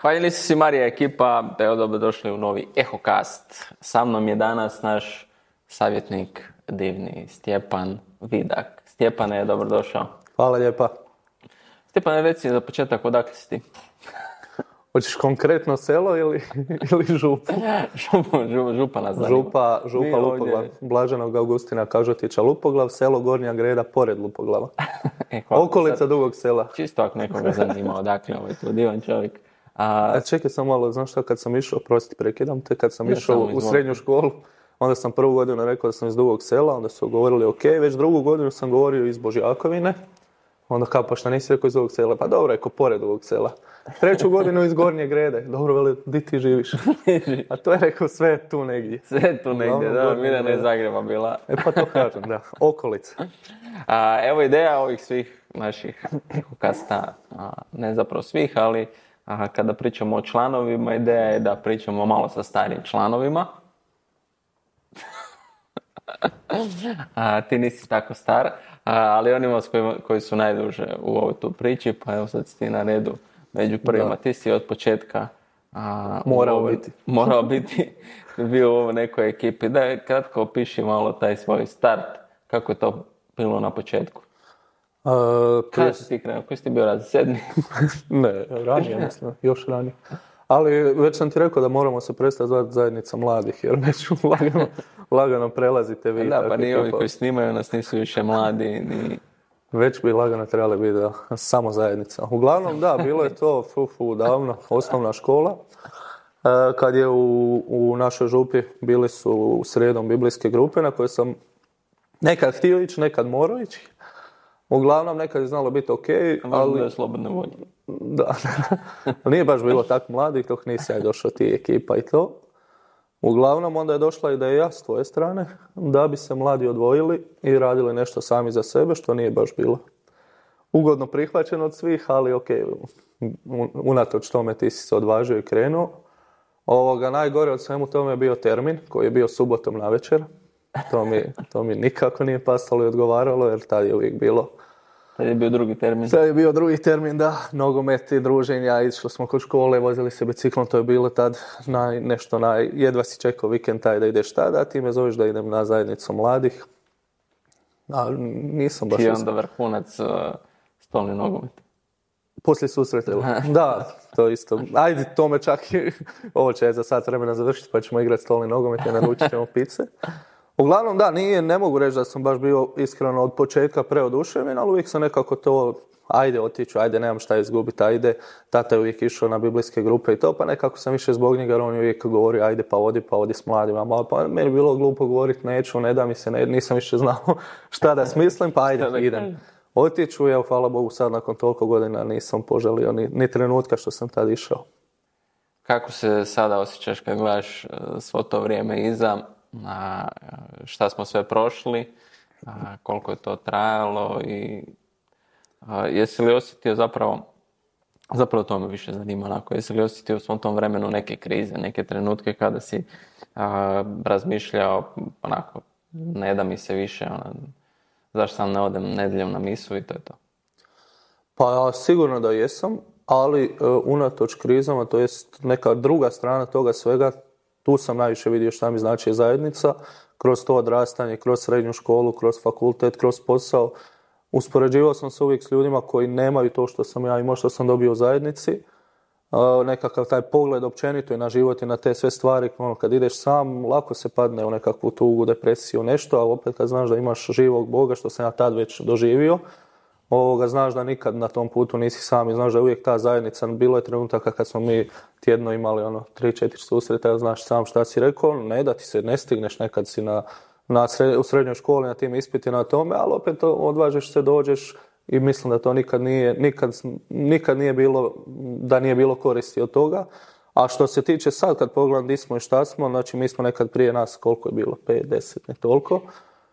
Hvaljeni su si Marija ekipa, da je dobrodošli u novi EhoCast. Sa mnom je danas naš savjetnik divni Stjepan Vidak. Stjepane, dobrodošao. Hvala lijepa. Stjepane, reci za početak, odakle si ti? Hoćeš konkretno selo ili župu? Župa nas zanima. Župa Lupoglav, Blaženog Augustina Kažotića Lupoglav, selo Gornja Greda pored Lupoglava. Okolica Dugog Sela. Čisto ako nekoga zanima odakle ovaj tu divan čovjek. Čekaj sam malo, znaš šta, kad sam išao, prosti prekidam te, kad sam išao u srednju školu, onda sam prvu godinu rekao da sam iz Dugog Sela, onda su govorili ok, već drugu godinu sam govorio iz Božjakovine, onda kao pa šta nisi rekao iz Dugog Sela, pa dobro, rekao pored Dugog Sela. Treću godinu iz Gornje Grede, dobro, veli, di ti živiš? A to je rekao sve tu negdje. Sve tu negdje, da, Mirjana iz Zagreba bila. Pa to kažem, da, okolica. Evo ideja ovih svih naših EhoCasta, ne zapravo svih, ali kada pričamo o članovima, ideja je da pričamo malo sa starijim članovima. Ti nisi tako star, ali onima koji su najduže u ovoj tu priči, pa evo sad si ti na redu među prvima. Da. Ti si od početka morao biti bio u ovoj nekoj ekipi. Da kratko opiši malo taj svoj start, kako je to bilo na početku. Kada si ti krenuo? Koji si ti bio raz? 7? Ne, ranije mislim, još ranije. Ali već sam ti rekao da moramo se prestati zvati zajednica mladih, jer već lagano prelazite vi. Da, pa ni ovi koji snimaju nas nisu više mladi, ni... Već bi lagano trebali biti samo zajednica. Uglavnom, da, bilo je to davno, osnovna škola. Kad je u našoj župi bili su u sredom biblijske grupe na koje sam nekad htio ići, nekad morao ići. Uglavnom, nekad je znalo biti ok, ali... Da je slobodno volje. Da, nije baš bilo tako mladih, dok nisi ja došao ti ekipa i to. Uglavnom, onda je došla ideja s tvoje strane da bi se mladi odvojili i radili nešto sami za sebe, što nije baš bilo ugodno prihvaćeno od svih, ali ok, unatoč tome ti si se odvažio i krenuo. Najgore od svemu tome je bio termin koji je bio subotom navečer. To mi nikako nije pasalo i odgovaralo, jer tad je uvijek bilo... Tad je bio drugi termin. Tad je bio drugi termin, da. Nogometi, druženja, išli smo kod škole, vozili se biciklom, to je bilo tad jedva si čekao vikend taj da ideš tada, a ti me zoveš da idem na zajednicu mladih. A nisam baš... Ti je onda vrhunac stolni nogomet. Poslije susreta, da, to isto. Ajde, to me čak ovo će za sat vremena završiti, pa ćemo igrati stolni nogomet i naručit ćemo pice. Uglavnom, da, ne mogu reći da sam baš bio iskreno od početka preoduševljen, ali uvijek sam nekako to, ajde otiću, ajde, nemam šta izgubiti, ajde. Tata je uvijek išao na biblijske grupe i to, pa nekako sam više zbog njega, jer on je uvijek govorio, ajde pa odi s mladima. Pa meni je bilo glupo govoriti, neću, ne da mi se, nisam više znao šta da smislim, pa ajde, idem. Otiću, evo, hvala Bogu, sad nakon toliko godina nisam poželio ni trenutka što sam tad išao. Kako se sada osjećaš kad gledaš svo to vrijeme iza? Šta smo sve prošli, koliko je to trajalo i jesi li osjetio zapravo to me više zanima, jesi li osjetio u svom tom vremenu neke krize, neke trenutke kada si razmišljao onako, ne da mi se više, zašto sam ne odem nedjeljom na misu i to je to? Pa sigurno da jesam, ali unatoč krizama, to jest neka druga strana toga svega, tu sam najviše vidio šta mi znači zajednica, kroz to odrastanje, kroz srednju školu, kroz fakultet, kroz posao. Uspoređivao sam se uvijek s ljudima koji nemaju to što sam ja imao, što sam dobio u zajednici. Nekakav taj pogled općenito i na život i na te sve stvari, kad ideš sam, lako se padne u nekakvu tugu, depresiju, nešto, a opet kad znaš da imaš živog Boga, što sam ja tad već doživio, znaš da nikad na tom putu nisi sam i znaš da je uvijek ta zajednica. Bilo je trenutaka kad smo mi tjedno imali 3-4 susreta, znaš sam šta si rekao, ne da ti se ne stigneš, nekad si u srednjoj školi na tim ispitima na tome, ali opet odvažiš se, dođeš i mislim da to nikad nije bilo, da nije bilo koristi od toga. A što se tiče sad kad pogledam di smo i šta smo, znači mi smo nekad prije nas, koliko je bilo, 5-10, ne toliko,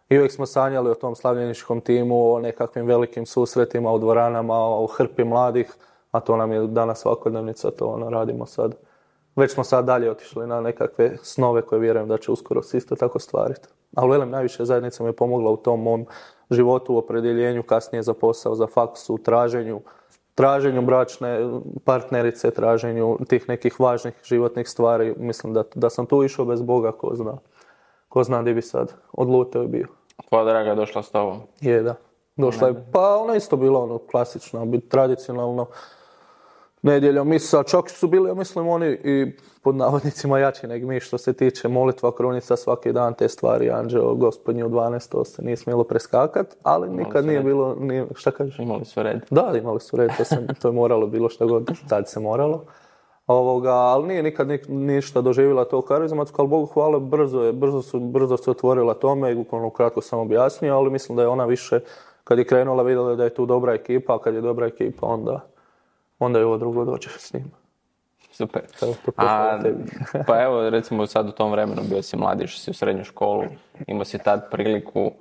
i uvijek smo sanjali o tom slavljeničkom timu, o nekakvim velikim susretima u dvoranama, o hrpi mladih, a to nam je danas svakodnevnica, to radimo sad. Već smo sad dalje otišli na nekakve snove koje vjerujem da će uskoro se isto tako stvariti. Ali velim, najviše zajednica mi je pomogla u tom mom životu, u opredjeljenju, kasnije za posao, za faks, u traženju traženju bračne partnerice, traženju tih nekih važnih životnih stvari. Mislim da sam tu išao bez Boga, ko zna gdje bi sad odlutao i bio. Tvoja draga je došla s tobom? Je, da. Došla je, pa ona isto bila ono klasično, tradicionalno nedjeljom misa, čak su bili, ja mislim, oni i pod navodnicima jači nego mi što se tiče molitva, krunica svaki dan, te stvari, anđeo, gospodnji u 12, to se nije smjelo preskakat, ali nikad nije bilo, šta kažeš? Imali su red. Da, imali su red, to je moralo bilo šta god, tad se moralo. Ali nije nikad ništa doživjela to karizmatsko, ali Bogu hvala, brzo se otvorila tome i kratko sam objasnio, ali mislim da je ona više, kad je krenula, vidjela da je tu dobra ekipa, a kad je dobra ekipa, onda je ovo drugo dođe s njim. Super. Pa evo, recimo sad u tom vremenu bio si mlad, išao si u srednju školu, imao si tad priliku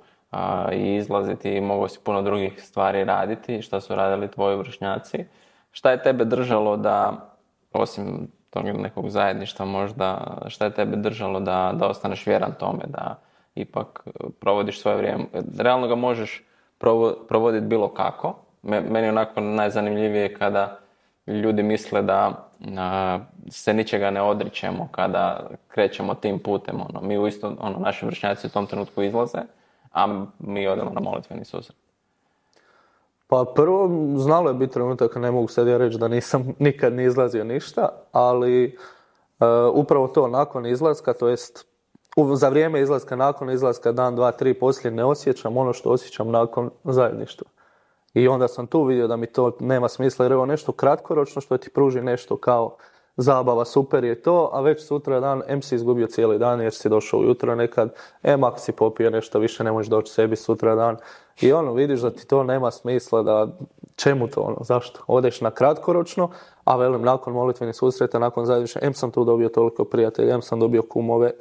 i izlaziti i mogao si puno drugih stvari raditi, šta su radili tvoji vršnjaci. Šta je tebe držalo da, osim tog nekog zajedništva možda, šta je tebe držalo da ostaneš vjeran tome, da ipak provodiš svoje vrijeme? Realno ga možeš provoditi bilo kako. Meni je onako najzanimljivije kada ljudi misle da se ničega ne odričemo kada krećemo tim putem. Mi uisto, naši vršnjaci u tom trenutku izlaze, a mi odemo na molitveni susret. Pa prvo, znalo je biti trenutak, ne mogu sad ja reći da nisam nikad ni izlazio ništa, ali upravo to nakon izlaska, to jest za vrijeme izlaska, nakon izlaska, dan, dva, tri poslije ne osjećam ono što osjećam nakon zajedništva. I onda sam tu vidio da mi to nema smisla, jer evo nešto kratkoročno što ti pruži nešto kao zabava, super je to, a već sutra dan, si izgubio cijeli dan jer si došao ujutro nekad, ako si popio nešto više ne možeš doći sebi sutra dan. I vidiš da ti to nema smisla, da čemu to, zašto? Odeš na kratkoročno, a velim, nakon molitvenih susreta, nakon zajedništva, sam tu dobio toliko prijatelja, sam dobio kumove,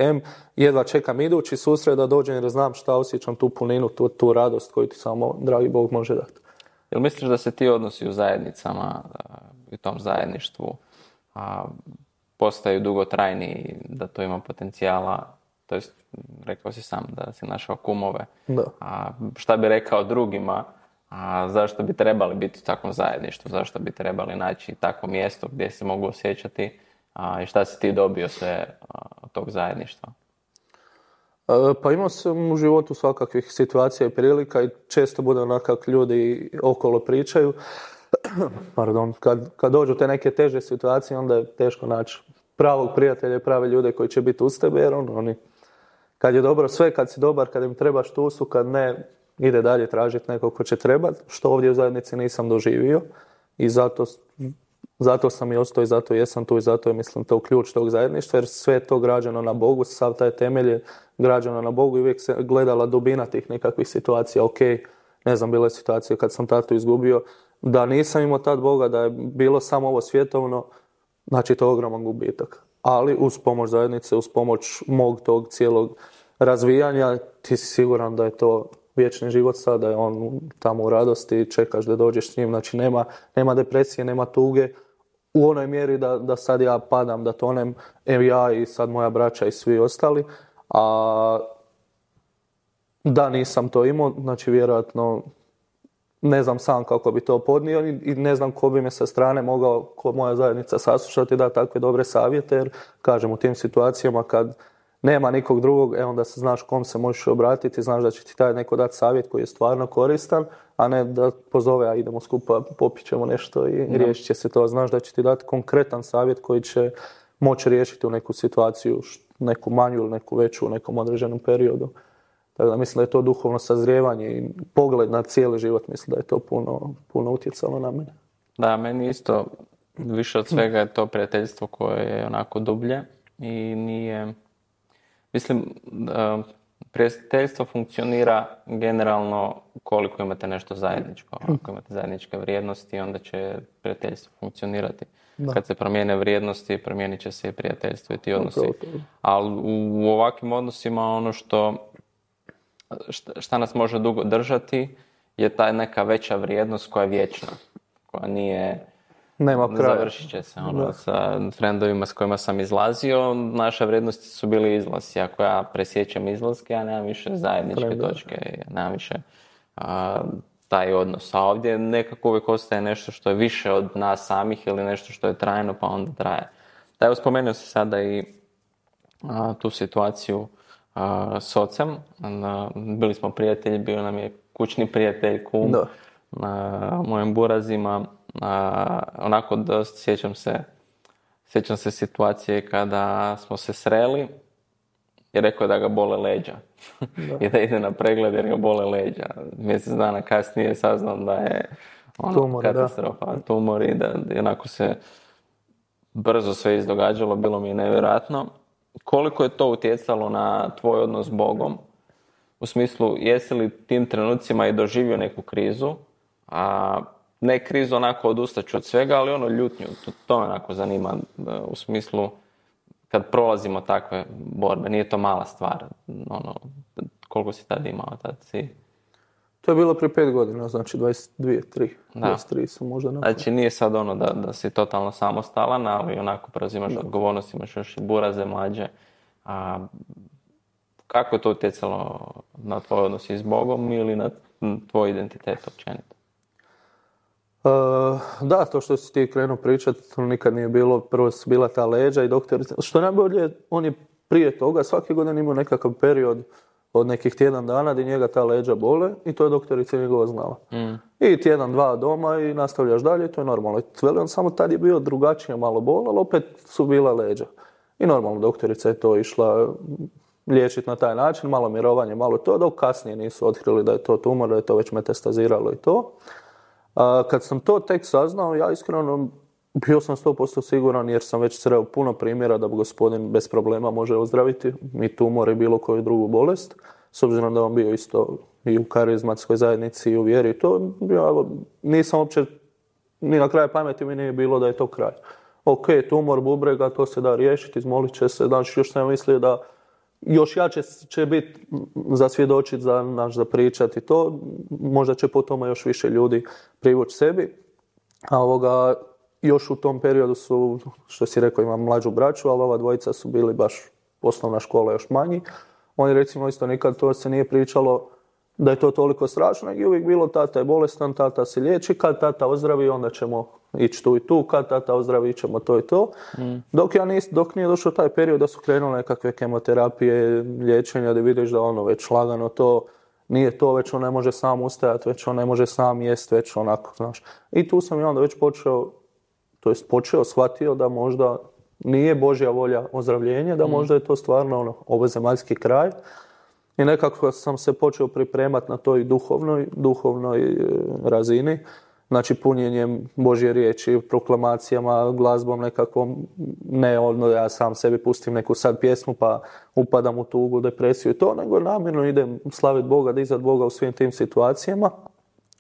jedva čekam idući susret da dođem jer znam šta osjećam, tu puninu, tu radost koju ti samo dragi Bog može dati. Jel misliš da se ti odnosi u zajednicama, u tom zajedništvu, postaju dugotrajni, da to ima potencijala, to jest rekao si sam da si našao kumove, šta bi rekao drugima, zašto bi trebali biti u takvom zajedništvu, zašto bi trebali naći takvo mjesto gdje se mogu osjećati i šta si ti dobio sve od tog zajedništva? Pa imao sam u životu svakakvih situacija i prilika i često bude onako ljudi okolo pričaju. Pardon, kad dođu te neke teže situacije, onda je teško naći pravog prijatelja i prave ljude koji će biti uz tebe, jer oni, kad je dobro sve, kad si dobar, kad im trebaš tu su, kad ne, ide dalje tražiti nekog ko će trebati, što ovdje u zajednici nisam doživio i zato sam i ostao i zato jesam tu i zato je, mislim, to ključ tog zajedništva, jer sve je to građeno na Bogu, sav taj temelj je građeno na Bogu i uvijek se gledala dubina tih nekakvih situacija. Ok, ne znam, bile situacije kad sam tatu izgubio, da nisam imao tad Boga, da je bilo samo ovo svjetovno, znači to je ogroman gubitak. Ali uz pomoć zajednice, uz pomoć mog tog cijelog razvijanja, ti si siguran da je to vječni život sad, da je on tamo u radosti i čekaš da dođeš s njim. Znači nema depresije, nema tuge u onoj mjeri da sad ja padam, da tonem, ja i sad moja braća i svi ostali. A da nisam to imao, znači vjerojatno ne znam sam kako bi to podnio i ne znam ko bi me sa strane mogao, ko moja zajednica saslušati, da takve dobre savjete, jer kažem u tim situacijama kad nema nikog drugog, onda se znaš kom se možeš obratiti, znaš da će ti taj neko dati savjet koji je stvarno koristan, a ne da pozove, a idemo skupa, popit ćemo nešto i riješit će se to. Znaš da će ti dati konkretan savjet koji će moći riješiti u neku situaciju, neku manju ili neku veću u nekom određenom periodu. Tako da mislim da je to duhovno sazrijevanje i pogled na cijeli život, mislim da je to puno utjecalo na mene. Da, meni isto više od svega je to prijateljstvo koje je onako dublje i nije... Mislim, prijateljstvo funkcionira generalno koliko imate nešto zajedničko. Ako imate zajedničke vrijednosti, onda će prijateljstvo funkcionirati. Da. Kad se promijene vrijednosti, promijenit će se i prijateljstvo i ti odnosi. Ali u ovakvim odnosima ono šta nas može dugo držati je ta neka veća vrijednost koja je vječna. Koja nije... Nema kraja. Završit će se. Sa frendovima s kojima sam izlazio, naše vrijednosti su bili izlazi. Ako ja presjećam izlaske, ja nemam više zajedničke točke. Ja nemam više taj odnos. A ovdje nekako uvijek ostaje nešto što je više od nas samih ili nešto što je trajno pa onda traje. Da, evo spomenuo si sada i tu situaciju s ocem. Bili smo prijatelji, bio nam je kućni prijatelj, kum, mojim burazima. Onako dosta sjećam se situacije kada smo se sreli i rekao je da ga bole leđa. I da ide na pregled jer ga bole leđa. Mjesec dana kasnije saznam da je katastrofa, tumor i da onako se brzo sve izdogađalo, bilo mi je nevjerojatno. Koliko je to utjecalo na tvoj odnos s Bogom? U smislu, jesi li tim trenucima i doživio neku krizu? Ne krizu onako odustaću od svega, ali ljutnju. To me onako zanima u smislu kad prolazimo takve borbe. Nije to mala stvar. Koliko si tad imao? Tad si... To je bilo prije 5 godina, znači 23 sam možda nakon. Znači nije sad da si totalno samostalan, ali onako preuzimaš odgovornost, imaš još i buraze mlađe. Kako je to utjecalo na tvoj odnos i s Bogom ili na tvoj identitet općenito? Da, to što si ti krenuo pričati, nikad nije bilo, prvo su bila ta leđa i doktorica. Što najbolje, on je prije toga svake godine imao nekakav period od nekih tjedan dana gdje njega ta leđa bole i to je doktorica njegova znala. I tjedan, dva doma i nastavljaš dalje i to je normalno. On samo tad je bio drugačije malo bol, ali opet su bila leđa. I normalno doktorica je to išla liječiti na taj način, malo mirovanje, malo to, dok kasnije nisu otkrili da je to tumor, da je to već metastaziralo i to. Kad sam to tek saznao, ja iskreno bio sam 100% siguran jer sam već sreo puno primjera da gospodin bez problema može ozdraviti i tumor i bilo koju drugu bolest. S obzirom da on bio isto i u karizmatskoj zajednici i u vjeri i to, nisam uopće, ni na kraju pameti mi nije bilo da je to kraj. Ok, tumor bubrega, to se da riješiti, izmolit će se, znači još sam mislio da još jače će biti za svjedočiti, za pričati to, možda će po tome još više ljudi privući sebi. A još u tom periodu su, što si rekao, imam mlađu braću, ali ova dvojica su bili baš osnovna škola još manji. Oni recimo isto nikad to se nije pričalo da je to toliko strašno, nego je uvijek bilo tata je bolestan, tata se liječi, kad tata ozdravi onda ćemo ići tu i tu, kad tata ozdravi ćemo to i to. Dok nije došao taj period da su krenule nekakve kemoterapije, liječenja, da vidiš da već lagano to nije to, već on ne može sam ustajati, već on ne može sam jest, već onako, znaš. I tu sam i onda već shvatio da možda nije Božja volja ozdravljenje, da možda je to stvarno ovozemaljski kraj. I nekako sam se počeo pripremati na toj duhovnoj razini, znači punjenjem Božje riječi, proklamacijama, glazbom nekakvom, ne ja sam sebi pustim neku sad pjesmu pa upadam u tugu, depresiju i to, nego namjerno idem slaviti Boga, dizati Boga u svim tim situacijama.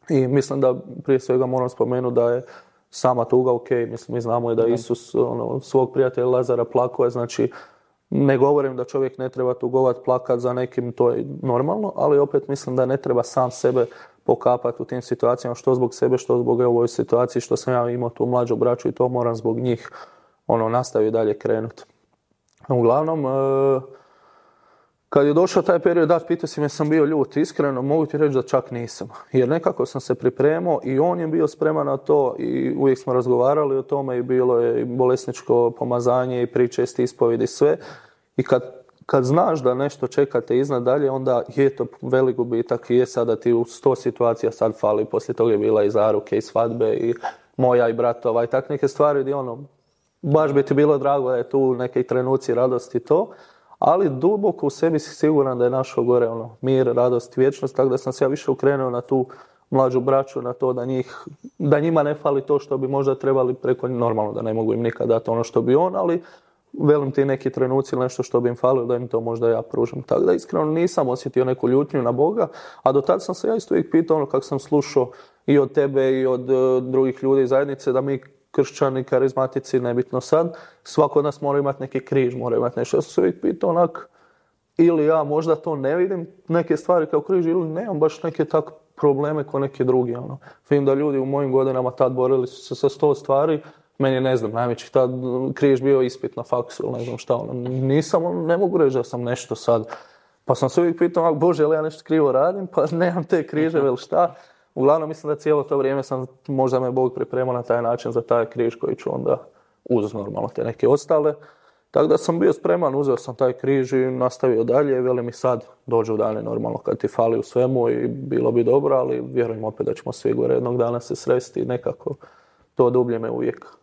I mislim da prije svega moram spomenuti da je sama tuga ok, mi znamo da Isus svog prijatelja Lazara plakao, znači ne govorim da čovjek ne treba tugovati, plakati za nekim, to je normalno, ali opet mislim da ne treba sam sebe pokapati u tim situacijama, što zbog sebe, što zbog ovoj situaciji, što sam ja imao tu mlađu braću i to moram zbog njih nastaviti dalje krenuti. Uglavnom, kad je došao taj period, pitao si me sam bio ljut, iskreno mogu ti reći da čak nisam, jer nekako sam se pripremao i on je bio spreman na to i uvijek smo razgovarali o tome i bilo je bolesničko pomazanje i priče, ispovjedi i sve. I kad znaš da nešto čekate iznad dalje, onda je to velik gubitak i je sada ti u 100 situacija sad fali, poslije toga je bila i zaruke i svadbe i moja i bratova i tak neke stvari gdje baš bi ti bilo drago da je tu neke trenuci radosti to. Ali duboko u sebi si siguran da je našao gore mir, radost, vječnost, tako da sam se ja više ukrenuo na tu mlađu braću, na to da njima ne fali to što bi možda trebali preko, normalno da ne mogu im nikad dati ono što bi on, ali velim ti neki trenuci ili nešto što bi im falilo da im to možda ja pružim. Tako da iskreno nisam osjetio neku ljutnju na Boga, a do tad sam se ja isto uvijek pitao kako sam slušao i od tebe i od drugih ljudi iz zajednice da mi kršćani, karizmatici, nebitno sad, svako od nas mora imati neki križ, mora imati nešto. Ja sam se uvijek pitao ili ja možda to ne vidim, neke stvari kao križ, ili nemam baš neke tak probleme kao neki drugi. Vidim da ljudi u mojim godinama tad borili su se sa 100 stvari, meni ne znam, najveći tad križ bio ispit na faksu ili ne znam šta. Ne mogu reći da sam nešto sad. Pa sam se uvijek pitao, Bože, ali ja nešto krivo radim, pa nemam te križeve ili šta. uglavnom mislim da cijelo to vrijeme možda me Bog pripremao na taj način za taj križ koji ću onda uz normalno te neke ostale. Tako da sam bio spreman, uzeo sam taj križ i nastavio dalje. Veli mi sad dođu dane normalno kad ti fali u svemu i bilo bi dobro, ali vjerujem opet da ćemo svi gore jednog dana se sresti i nekako to dublje me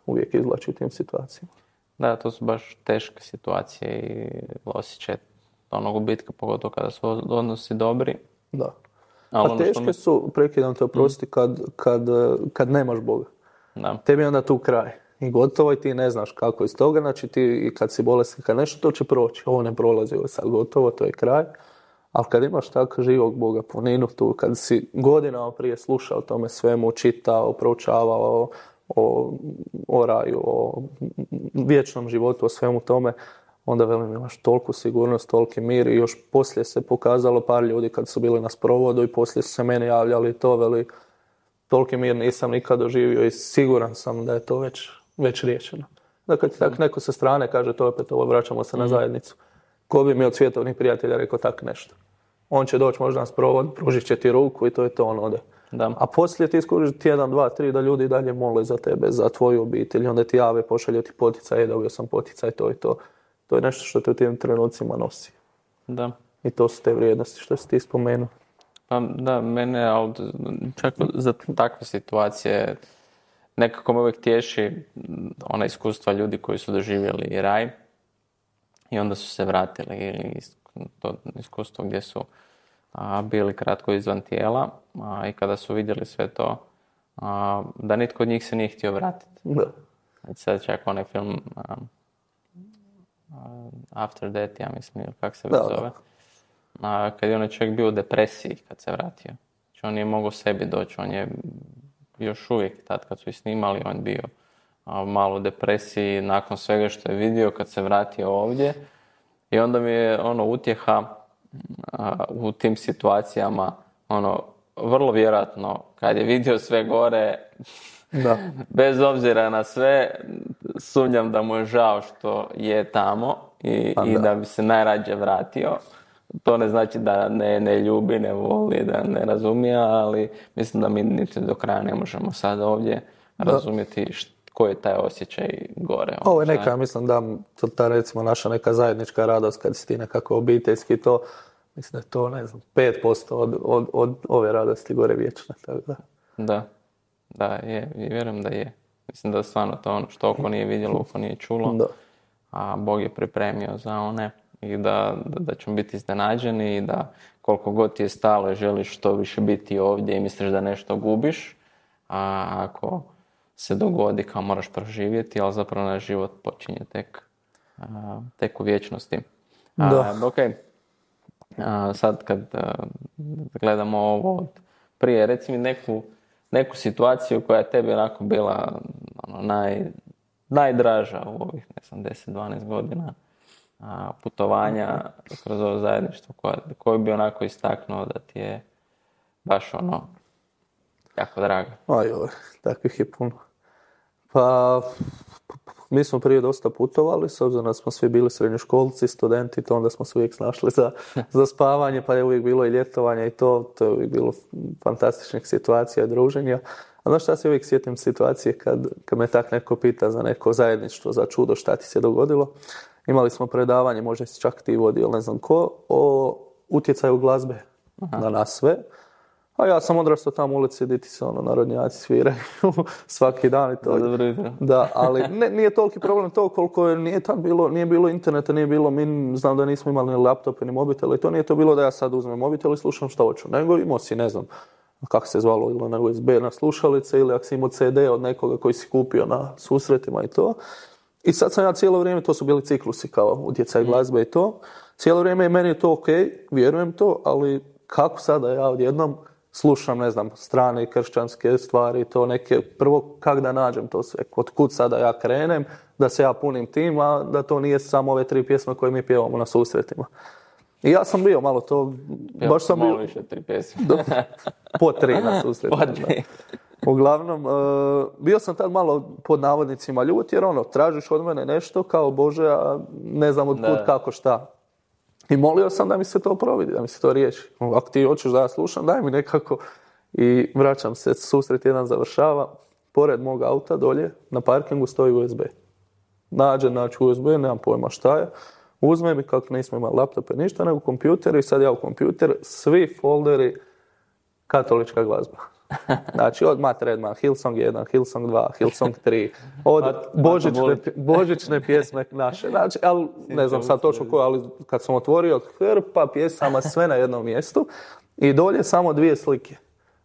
uvijek izvlači u tim situacijama. Da, to su baš teške situacije i osjećaj onog gubitka, pogotovo kada su odnosi dobri. Da. A teške su, prekidam te oprosti, kad nemaš Boga. Da. Tebi je onda tu kraj. I gotovo i ti ne znaš kako iz toga, znači ti kad si bolestan, kad nešto, to će proći. Ovo ne prolazi, ovo je sad gotovo, to je kraj. Ali kad imaš tako živog Boga puninu tu, kad si godinama prije slušao o tome svemu, čitao, proučavao o raju, o vječnom životu, o svemu tome, onda velim imaš toliku sigurnost, toliki mir i još poslije se pokazalo par ljudi kad su bili na sprovodu i poslije su se meni javljali i to veli toliki mir nisam nikad doživio i siguran sam da je to već riješeno. Da kad ti tak neko sa strane kaže to opet ovo vraćamo se na zajednicu. Ko bi mi od svjetovnih prijatelja rekao tak nešto? On će doći možda na sprovod, pružit će ti ruku i to je to, on ode. Da. A poslije ti skužiš tjedan, dva, tri da ljudi dalje mole za tebe, za tvoju obitelj. Onda ti jave, pošalju ti poticaj, dobio sam poticaj, to i to. To je nešto što te u tim trenucima nosi. Da. I to su te vrijednosti što si ti spomenuo. Pa da, mene, ali čak za takve situacije nekako me uvijek tješi ona iskustva ljudi koji su doživjeli raj i onda su se vratili, ili to iskustvo gdje su bili kratko izvan tijela i kada su vidjeli sve to, da nitko od njih se nije htio vratiti. Da. Znači sad čak onaj film After Death, ja mislim, ili kako se zove. Kad je onaj čovjek bio u depresiji kad se vratio. Znači on nije mogao sebi doći, on je još uvijek tad kad su i snimali, on bio malo u depresiji nakon svega što je vidio kad se vratio ovdje. I onda mi je utjeha u tim situacijama, vrlo vjerojatno kad je vidio sve gore, da. Bez obzira na sve, sumnjam da mu je žao što je tamo i da bi se najrađe vratio. To ne znači da ne ljubi, ne voli, da ne razumije, ali mislim da mi niti do kraja ne možemo sad ovdje razumjeti koji je taj osjećaj gore. Ovo je neka, mislim da ta recimo naša neka zajednička radost kad si ti nekako obiteljski to, mislim da je to, ne znam, 5% od ove radosti gore vječne. Tako da. Da, je, i vjerujem da je. Mislim da je stvarno to ono što oko nije vidjelo, oko nije čulo, a Bog je pripremio za one i da ćemo biti iznenađeni i da koliko god ti je stalo i želiš što više biti ovdje i misliš da nešto gubiš, a ako se dogodi kao moraš proživjeti, ali zapravo naš život počinje tek u vječnosti. Okay. Sad kad gledamo ovo od prije, reci mi neku situaciju koja je tebi onako bila najdraža u ovih 10-12 godina putovanja kroz ovo zajedništvo, koju bi onako istaknuo da ti je baš jako draga? Takvih je puno. Pa, mi smo prije dosta putovali, s obzirom da smo svi bili srednjoškolci, studenti, to onda smo se uvijek snašli za spavanje, pa je uvijek bilo i ljetovanje i to je uvijek bilo fantastičnih situacija i druženja. A znaš šta se uvijek sjetim situacije kad me tak neko pita za neko zajedništvo, za čudo, šta ti se dogodilo. Imali smo predavanje, možda si čak ti vodio, ne znam ko, o utjecaju glazbe na nas sve. A ja sam odrastao tamo u ulici, gdje ti se narodnjaci sviraju svaki dan i to. Da, ali nije toliki problem to koliko nije bilo interneta, znam da nismo imali ni laptope, ni mobitele i to nije to bilo da ja sad uzmem mobitel i slušam što hoću, nego imao si, ne znam, kako se zvalo, ili na USB na slušalice ili ako si imao CD od nekoga koji si kupio na susretima i to. I sad sam ja cijelo vrijeme, to su bili ciklusi kao utjecaj glazbe i to. Cijelo vrijeme meni je to ok, vjerujem to, ali kako sada ja odjednom slušam, ne znam, strane kršćanske stvari i to neke, prvo kak da nađem to sve, od kud sada ja krenem, da se ja punim tim, a da to nije samo ove 3 pjesme koje mi pjevamo na susretima. I ja sam bio malo to, baš sam bio... Malo više 3 pjesme. Po 3 na susretima. Uglavnom, bio sam tad malo pod navodnicima ljut, jer tražiš od mene nešto kao Bože, a ne znam od kud, kako, šta. I molio sam da mi se to providi, da mi se to riješi. Ako ti hoćeš da ja slušam, daj mi nekako. I vraćam se, susret jedan završava, pored mog auta dolje na parkingu stoji USB. Naći USB, nemam pojma šta je. Uzmem i kako nismo imali laptope, ništa, nego kompjuter i sad ja u kompjuter, svi folderi katolička glazba. Znači od Matt Redman, Hillsong 1, Hillsong 2, Hillsong 3, od božićne pjesme naše. Znači, ali ne znam sad točno koje, ali kad sam otvorio hrpa pjesama sve na jednom mjestu i dolje samo 2 slike.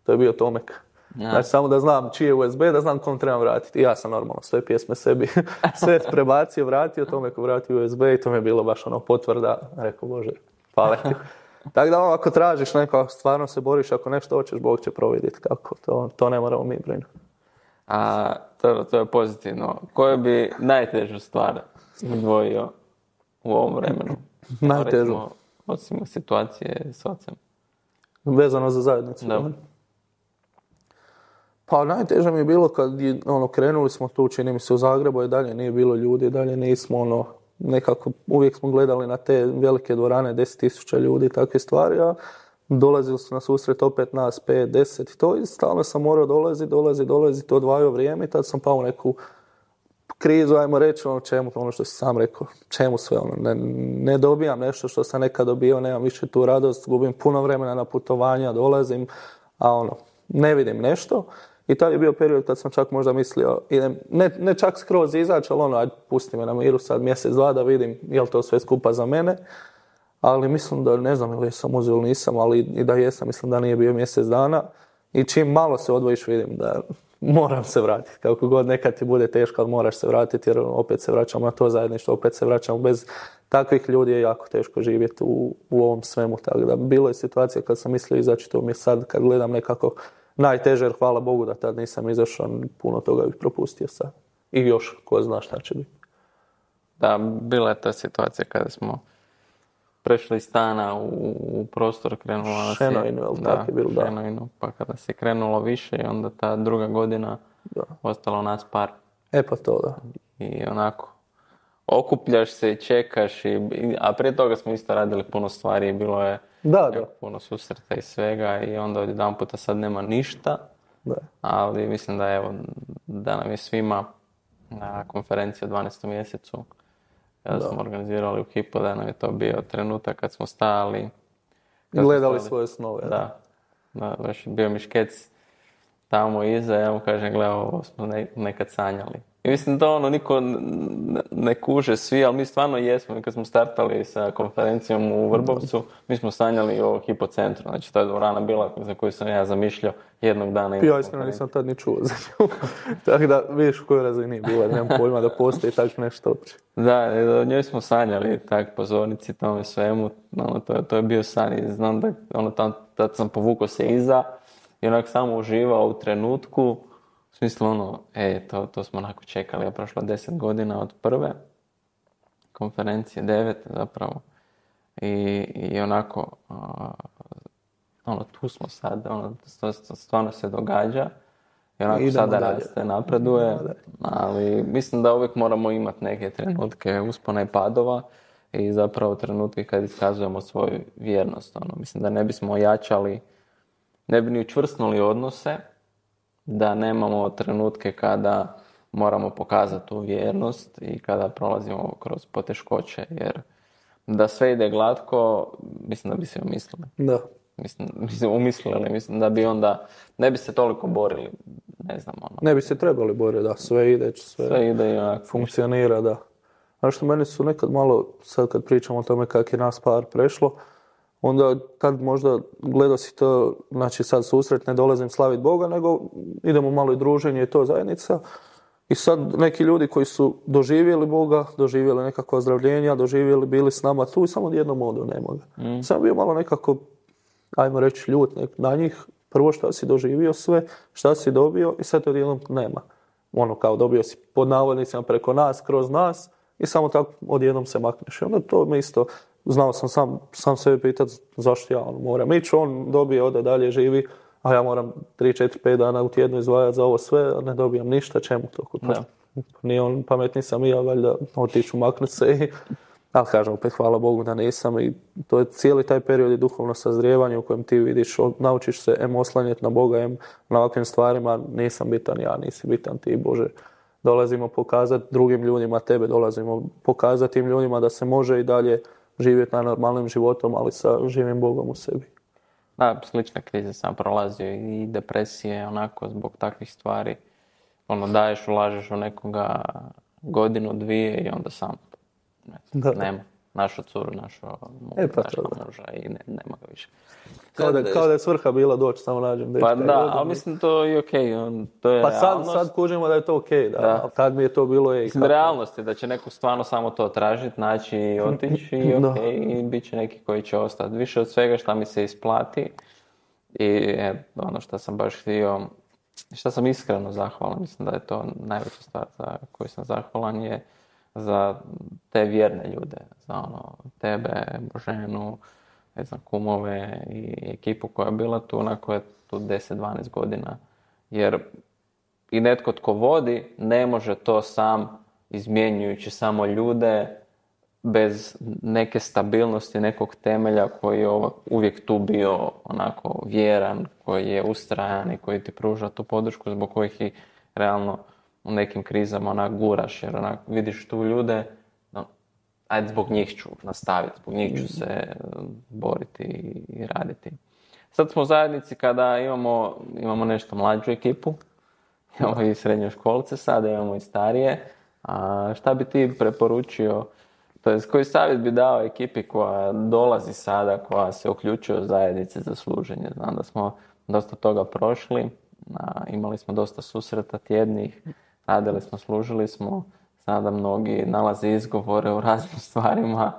To je bio Tomek. Ja. Znači samo da znam čiji je USB, da znam kom trebam vratiti. I ja sam normalno sve pjesme sebi sve prebacio, vratio, Tomeku vratio USB i to mi je bilo baš ono potvrda. Rekao, Bože, hvala ti. Tako da ako tražiš neko, stvarno se boriš, ako nešto hoćeš, Bog će providjeti kako. To ne moramo mi brinuti. A to je pozitivno. Koju bi najtežu stvar izdvojio u ovom vremenu? Najtežu? Osim situacije s ocem. Vezano za zajednicu? Da. Pa najteže mi je bilo kad krenuli smo tu, čini mi se u Zagrebu i dalje nije bilo ljudi, dalje nismo nekako, uvijek smo gledali na te velike dvorane, 10,000 ljudi i takve stvari, a dolazili su na susret opet nas 5, 10 i to i stalno sam morao dolazi, to odvajao vrijeme i tad sam pao u neku krizu, ajmo reći, čemu, ono što si sam rekao, čemu sve, ne dobijam nešto što sam nekad dobio, nemam više tu radost, gubim puno vremena na putovanja, dolazim, a ne vidim nešto. I tad je bio period kad sam čak možda mislio, idem, ne čak skroz izaći, ali ajde, pusti me na miru sad mjesec, 2 da vidim je li to sve skupa za mene. Ali mislim da, ne znam ili sam uzeo ili nisam, ali i da jesam, mislim da nije bio mjesec dana. I čim malo se odvojiš vidim da moram se vratiti. Kako god nekad ti bude teško, ali moraš se vratiti jer opet se vraćamo na to zajedništvo, opet se vraćamo bez takvih ljudi je jako teško živjeti u ovom svemu. Tako da bilo je situacija kad sam mislio izaći, to mi je sad kad gledam nekako najteže, jer hvala Bogu da tad nisam izašao, puno toga bih propustio sad. I još, ko zna šta će biti. Da, bila je ta situacija kada smo prešli iz stana u prostor, krenulo nas je... Šenojnu, jel tako je bilo, da. Šenojnu, pa kada se krenulo više i onda ta druga godina ostalo nas par. Pa to, da. I onako, okupljaš se i čekaš, a prije toga smo isto radili puno stvari i bilo je puno susreta i svega i onda odjedanputa sad nema ništa, ali mislim da nam je svima na konferenciji u 12. mjesecu kada smo organizirali u Hypo, da nam je to bio trenutak kad smo stajali. Gledali svoje snove. Da, baš bio mi škec tamo iza, ja mu kažem, gledaj, ovo smo nekad sanjali. I mislim da niko ne kuže svi, ali mi stvarno jesmo. I kad smo startali sa konferencijom u Vrbovcu, mi smo sanjali o Hypo centru. Znači, to je dvorana bila za koju sam ja zamišljao jednog dana. Ja iskreno nisam tad ni čuo za nju. Tako da vidiš u kojoj razini bila. Nemam pojma da postoji tako nešto uopće. Da, o njoj smo sanjali, tak pozornici, tome svemu. To je bio san i znam da tad sam povukao se iza i onak samo uživao u trenutku. U smislu to smo onako čekali, je prošlo 10 godina od prve konferencije, 9 zapravo. I onako, tu smo sad, stvarno se događa. I onako idemo sada dalje. Raste, napreduje, ali mislim da uvijek moramo imati neke trenutke uspona i padova i zapravo trenutke kad iskazujemo svoju vjernost. Mislim da ne bismo ojačali, ne bi ni učvrstnuli odnose, da nemamo trenutke kada moramo pokazati tu vjernost i kada prolazimo kroz poteškoće, jer da sve ide glatko, mislim da bi se umislili. Da. Mislim da bi onda, ne bi se toliko borili, ne znam. Ne bi se trebali boriti, da, sve ide i onako funkcionira, da. A što meni su nekad malo, sad kad pričamo o tome kako je nas par prešlo, onda tad možda gledao si to, znači sad susret, ne dolazim slaviti Boga, nego idemo malo i druženje i to zajednica. I sad neki ljudi koji su doživjeli Boga, doživjeli nekakva ozdravljenja, bili s nama tu i samo jednom odu nema ga. Sam bio malo nekako, ajmo reći, ljut na njih. Prvo šta si doživio sve, šta si dobio i sad odjednom nema. Kao dobio si pod navodnicima preko nas, kroz nas i samo tako odjednom se makneš. I onda to me isto, znao sam sam sebe pitati zašto ja moram ići, on dobije, ode dalje, živi, a ja moram 3, 4, 5 dana u tjednu izdvajati za ovo sve, a ne dobijam ništa, čemu to? Nije on pametni sam i ja, valjda otiću, maknuti se Ali kažem, opet hvala Bogu da nisam i to je cijeli taj period i duhovno sazrijevanje u kojem ti vidiš, naučiš se oslanjati na Boga, na ovakvim stvarima, nisam bitan ja, nisi bitan ti, Bože. Dolazimo pokazati drugim ljudima tebe, dolazimo pokazati tim ljudima da se može i dalje živjeti na normalnim životom, ali sa živim Bogom u sebi. Da, slične krize sam prolazio i depresije, onako, zbog takvih stvari. Daješ, ulažeš u nekoga godinu, dvije i onda sam nema. Našo curu, našo muža i nema ga više. Kao da je svrha bila doći, samo nađem dečka. Pa da, ali mislim to je okej. To je pa realnost. sad kužimo da je to okej, da. Ali tad mi je to bilo realnost je da će neko stvarno samo to tražiti, naći i otići i okej, i bit će neki koji će ostati. Više od svega šta mi se isplati i ono što sam baš htio, što sam iskreno zahvalan, mislim da je to najveća stvar za koju sam zahvalan je za te vjerne ljude, za tebe, Boženu, ne znam, kumove i ekipu koja je bila tu, onako je tu 10-12 godina. Jer i netko tko vodi ne može to sam, izmjenjujući samo ljude, bez neke stabilnosti, nekog temelja koji je uvijek tu bio onako vjeran, koji je ustrajan i koji ti pruža tu podršku zbog kojih i realno u nekim krizama onak guraš, jer onak vidiš tu ljude, ajde zbog njih ću nastaviti, zbog njih ću se boriti i raditi. Sad smo u zajednici kada imamo nešto mlađu ekipu, imamo i srednjoškolce sada, imamo i starije. A šta bi ti preporučio, to jest koji savjet bi dao ekipi koja dolazi sada, koja se uključuje u zajednice za služenje? Znam da smo dosta toga prošli, imali smo dosta susreta tjednih, radili smo, služili smo, sada mnogi nalaze izgovore u raznim stvarima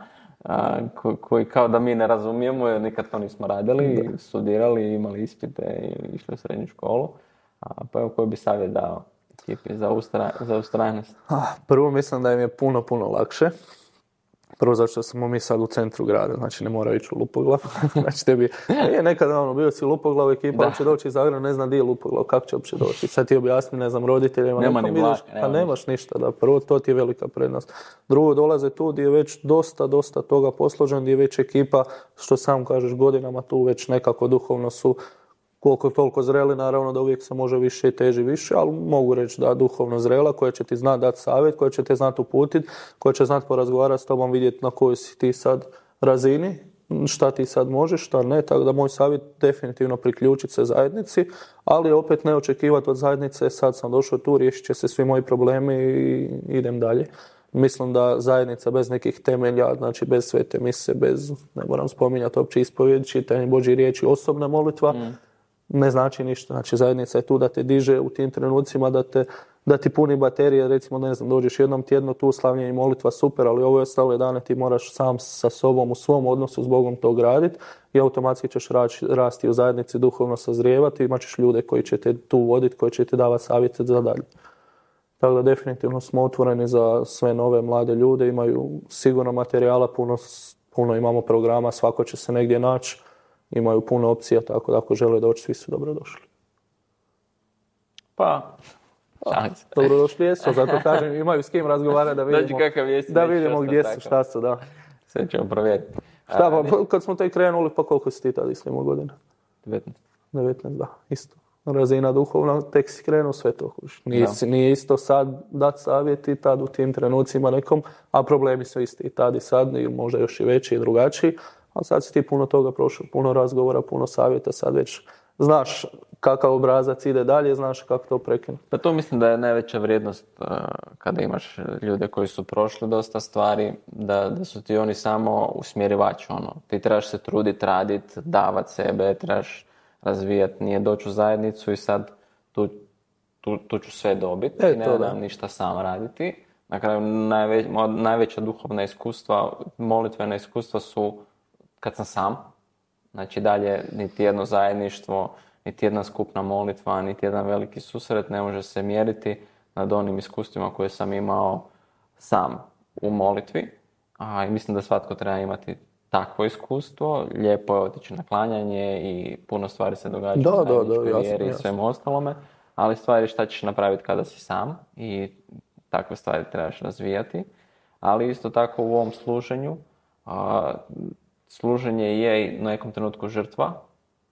koji kao da mi ne razumijemo jer nikad to nismo radili, studirali, imali ispite i išli u srednju školu. Pa evo koji bi savjet dao ekipi za ustrajnost? Prvo mislim da im je puno lakše. Prvo zato što smo mi sad u centru grada, znači ne mora ići u Lupoglav. Znači tebi, nekad bio si u Lupoglavu, ekipa će doći iz Zagreba, ne zna di je Lupoglav, kako će uopće doći. Sad ti objasni, ne znam, roditeljima. Nema ni vlak. Pa nemaš ništa, da. Prvo, to ti je velika prednost. Drugo, dolaze tu gdje je već dosta toga posložen, gdje je već ekipa, što sam kažeš, godinama tu već nekako duhovno su koliko toliko zreli, naravno da uvijek se može više i teži više, ali mogu reći da duhovno zrela, koja će ti znati dati savjet, koja će te znati uputiti, koja će znati porazgovarati s tobom, vidjeti na kojoj si ti sad razini, šta ti sad možeš, šta ne, tako da moj savjet definitivno priključiti se zajednici, ali opet ne očekivati od zajednice, sad sam došao tu, riješit će se svi moji problemi i idem dalje. Mislim da zajednica bez nekih temelja, znači bez svete mise, bez, ne moram spominjati uopće ispovjed, čitanje Božje riječi, osobna molitva, ne znači ništa. Znači zajednica je tu da te diže u tim trenucima, da ti puni baterije, recimo ne znam, dođeš jednom tjedno tu, slavljenje i molitva, super, ali ove ostale dane ti moraš sam sa sobom u svom odnosu s Bogom to graditi i automatski ćeš rasti u zajednici, duhovno sazrijevati, imat ćeš ljude koji će te tu voditi, koji će ti davati savjete za dalje. Tako da definitivno smo otvoreni za sve nove mlade ljude, imaju sigurno materijala, puno imamo programa, svako će se negdje naći, imaju puno opcija, tako da ako žele doći, svi su dobrodošli. Dobrodošli jesu, zato kažem, imaju s kim razgovarati da vidimo gdje su, šta su, da. Sve ćemo provjeriti. Šta, pa kad smo tek krenuli, pa koliko si ti tada islimo godina? 19, da, isto. Razina duhovna, tek si krenuo, sve to huš. Nije isto sad dati savjeti, tad u tim trenucima nekom, a problemi su isti i tad i sad, i možda još i veći i drugačiji, ali sad si ti puno toga prošao, puno razgovora, puno savjeta, sad već znaš kakav obrazac ide dalje, znaš kako to prekinuti. Pa to mislim da je najveća vrijednost kada imaš ljude koji su prošli dosta stvari, da su ti oni samo usmjerivači. Ti trebaš se truditi, raditi, davati sebe, trebaš razvijati, nije doći u zajednicu i sad tu ću sve dobiti i ne dam ništa sam raditi. Na kraju najveća duhovna iskustva, molitvena iskustva su kad sam sam. Znači dalje niti jedno zajedništvo, niti jedna skupna molitva, niti jedan veliki susret ne može se mjeriti nad onim iskustvima koje sam imao sam u molitvi. I mislim da svatko treba imati takvo iskustvo. Lijepo je otići na klanjanje i puno stvari se događa u zajedničkoj vjeri i svemu ostalome. Ali stvari šta ćeš napraviti kada si sam i takve stvari trebaš razvijati. Ali isto tako u ovom služenju, služenje je u nekom trenutku žrtva.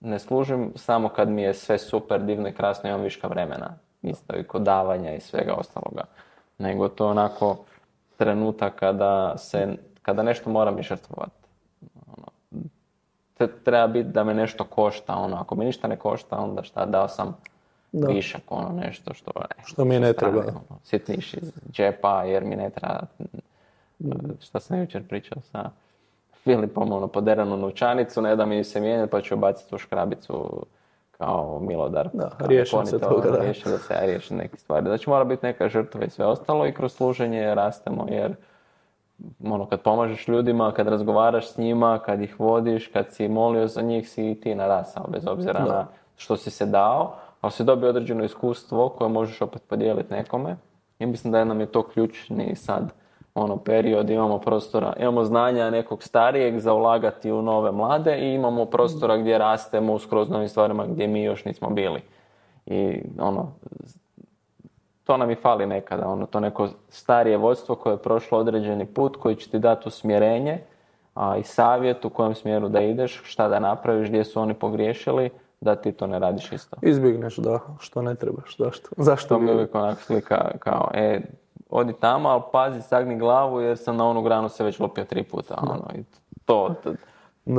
Ne služim samo kad mi je sve super, divno i krasno, imam viška vremena. Isto i kod davanja i svega ostaloga. Nego to onako trenutak kada nešto moram i žrtvovati. Treba biti da me nešto košta. Ako me ništa ne košta, onda šta, dao sam višak, nešto što mi ne treba. Sitniš iz džepa jer mi ne treba. Šta sam jučer pričao sa Filipom, poderanu novčanicu, ne da mi se mijenjati, pa ću baciti u škrabicu kao milodar. Da, riješim se toga. Riješim da se ja riješim neke stvari. Znači mora biti neka žrtva i sve ostalo i kroz služenje rastemo jer kad pomažeš ljudima, kad razgovaraš s njima, kad ih vodiš, kad si molio za njih, si i ti narasao, bez obzira na što si se dao, ali si dobio određeno iskustvo koje možeš opet podijeliti nekome. I mislim da nam je to ključni sad period, imamo prostora, imamo znanja nekog starijeg za ulagati u nove mlade i imamo prostora gdje rastemo u skroz novim stvarima gdje mi još nismo bili. I to nam i fali nekada, to neko starije vodstvo koje je prošlo određeni put, koji će ti dati usmjerenje i savjet u kojem smjeru da ideš, šta da napraviš, gdje su oni pogriješili, da ti to ne radiš isto. Izbjegneš što ne trebaš, zašto? To mi je uvijek onako slika kao, odi tamo, ali pazi, sagni glavu jer sam na onu granu se već lopio 3 puta. I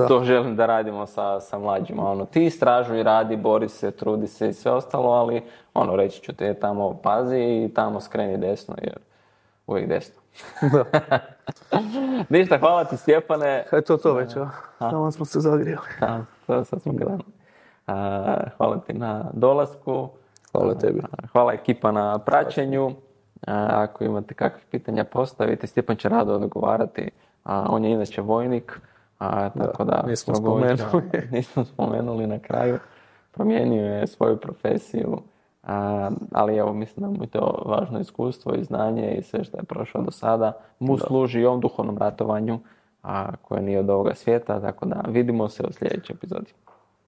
to želim da radimo sa mlađima. Ti istražuj, radi, bori se, trudi se i sve ostalo, ali reći ću te tamo pazi i tamo skreni desno jer uvijek desno. Ništa, hvala ti Stjepane. To već, tamo smo se zagrijali. Sad smo gledali. Hvala ti na dolasku. Hvala tebi. Hvala ekipa na praćenju. Ako imate kakve pitanja postavite, Stjepan će rado odgovarati. On je inače vojnik, tako da nismo spomenuli na kraju. Promijenio je svoju profesiju, ali evo mislim da mu je to važno iskustvo i znanje i sve što je prošao do sada mu služi i ovom duhovnom ratovanju koje nije od ovoga svijeta, tako da vidimo se u sljedećoj epizodi.